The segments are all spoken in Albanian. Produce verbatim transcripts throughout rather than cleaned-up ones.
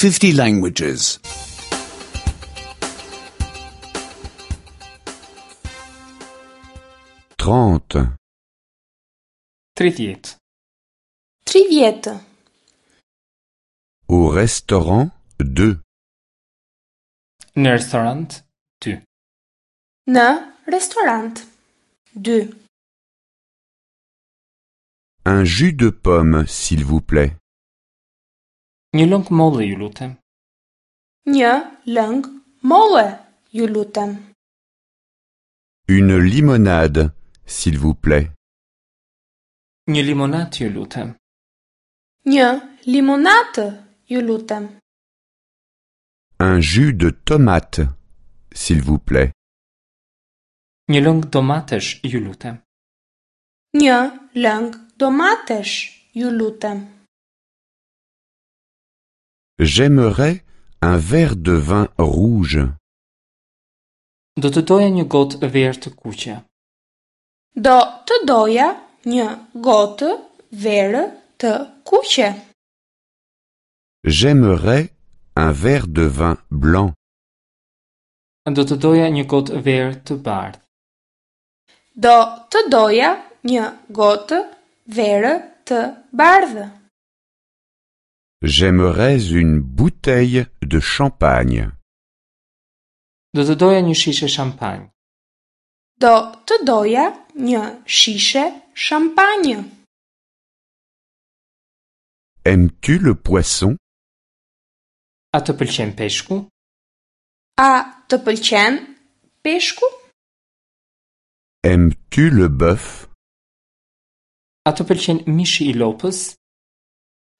fifty languages. Trente. Tridhjetë. Tridhjetë. Au restaurant deux. Në restorant dy. Në restorant dy. Un jus de pomme, s'il vous plaît. Një lëng molle, ju lutem. Një lëng molle, ju lutem. Une limonade, s'il vous plaît. Një limonat, ju lutem. Një limonatë, ju lutem. Un jus de tomate, s'il vous plaît. Një lëng domatesh, ju lutem. Një lëng domatesh, ju lutem. J'aimerais un verre de vin rouge. Do të doja një gotë verë të kuqe. Do të doja një gotë verë të kuqe. J'aimerais un verre de vin blanc. Do të doja një gotë verë të bardhë. Do të doja një gotë verë të bardhë. J'aimerais une bouteille de champagne. Do të doja një shishe shampanjë. Do të doja një shishe shampanjë. Aimes-tu le poisson? A të pëlqen peshku? A të pëlqen peshku? Aimes-tu le bœuf? A të pëlqen mishi i lopës?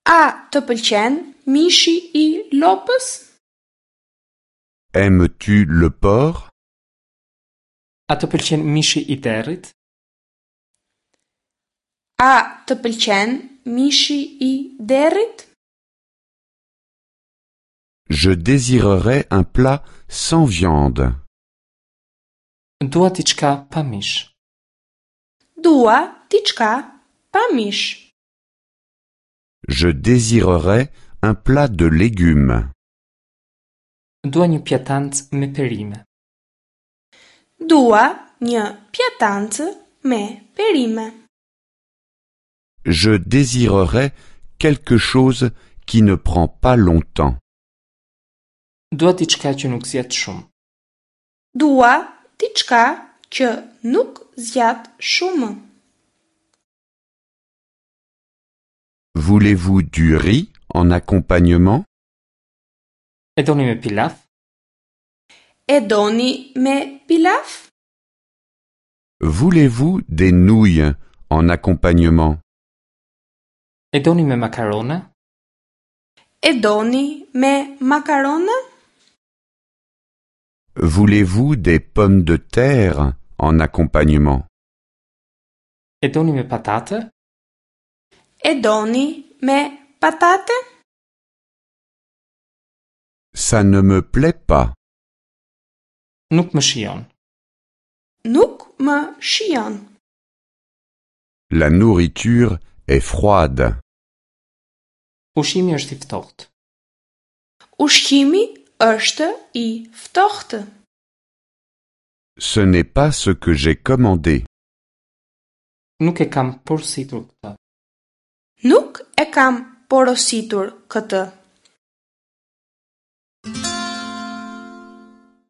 A të pëlqen mishi i lopës? Aimes-tu le porc? A të pëlqen mishi i derrit? A të pëlqen mishi i derrit? Je désirerais un plat sans viande. Dua diçka pa mish. Dua diçka pa mish. Je désirerais un plat de légumes. Dua një pjatancë me perime. Dua një pjatancë me perime. Je désirerais quelque chose qui ne prend pas longtemps. Dua diçka që nuk zgjat shumë. Dua diçka që nuk zgjat shumë. Voulez-vous du riz en accompagnement? E doni me pilaf? E doni me pilaf? Voulez-vous des nouilles en accompagnement? E doni me makarona? E doni me makarona? Voulez-vous des pommes de terre en accompagnement? E doni me patate? E doni me patate? Ça ne me plaît pas. Nuk më shijon. Nuk më shijon. La nourriture est froide. Ushqimi është i ftohtë. Ushqimi është i ftohtë. Ce n'est pas ce que j'ai commandé. Nuk e kam porositur këtë. Nuk e kam porositur këtë.